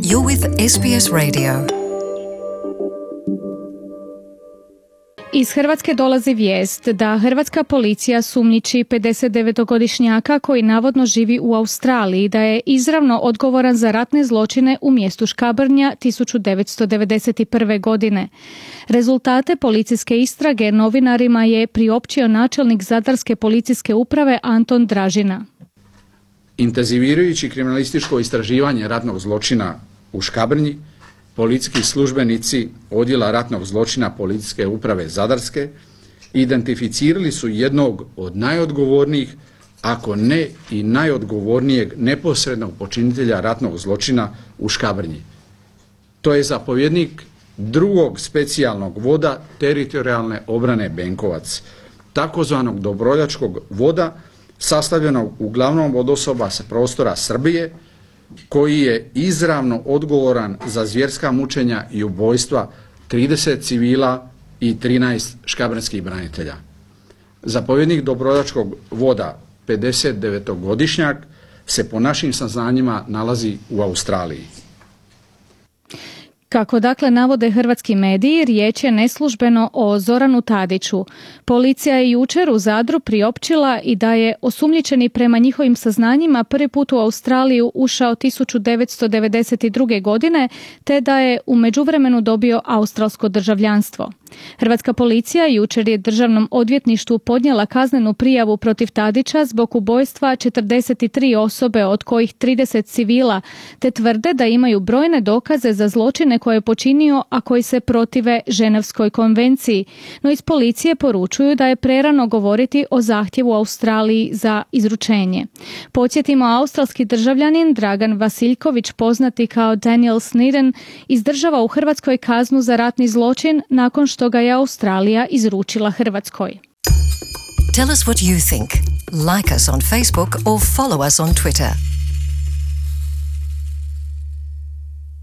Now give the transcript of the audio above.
You're with SBS Radio. Iz Hrvatske dolazi vijest da hrvatska policija sumnjiči 59-godišnjaka koji navodno živi u Australiji da je izravno odgovoran za ratne zločine u mjestu Škabrnja 1991. godine. Rezultate policijske istrage novinarima je priopćio načelnik Zadarske policijske uprave Anton Dražina. Intenzivirajući kriminalističko istraživanje ratnog zločina u Škabrnji, policijski službenici Odjela ratnog zločina Policijske uprave Zadarske identificirali su jednog od najodgovornijih, ako ne i najodgovornijeg neposrednog počinitelja ratnog zločina u Škabrnji. To je zapovjednik drugog specijalnog voda teritorijalne obrane Benkovac, takozvanog dobrovoljačkog voda sastavljenog uglavnom od osoba sa prostora Srbije, koji je izravno odgovoran za zvjerska mučenja i ubojstva 30 civila i 13 škabrnjskih branitelja. Zapovjednik dobrovoljačkog voda, 59-godišnjak, se po našim saznanjima nalazi u Australiji. Kako dakle navode hrvatski mediji, riječ je neslužbeno o Zoranu Tadiću. Policija je jučer u Zadru priopćila i da je osumnjičeni prema njihovim saznanjima prvi put u Australiju ušao 1992. godine, te da je u međuvremenu dobio australsko državljanstvo. Hrvatska policija jučer je Državnom odvjetništvu podnijela kaznenu prijavu protiv Tadića zbog ubojstva 43 osobe, od kojih 30 civila, te tvrde da imaju brojne dokaze za zločine koje je počinio, a koji se protive Ženevskoj konvenciji. No iz policije poručuju da je prerano govoriti o zahtjevu Australiji za izručenje. Podsjetimo, australski državljanin Dragan Vasiljković, poznati kao Daniel Sneden, izdržava u Hrvatskoj kaznu za ratni zločin nakon što ga je Australija izručila Hrvatskoj. Tell us what you think. Like us on Facebook or follow us on Twitter.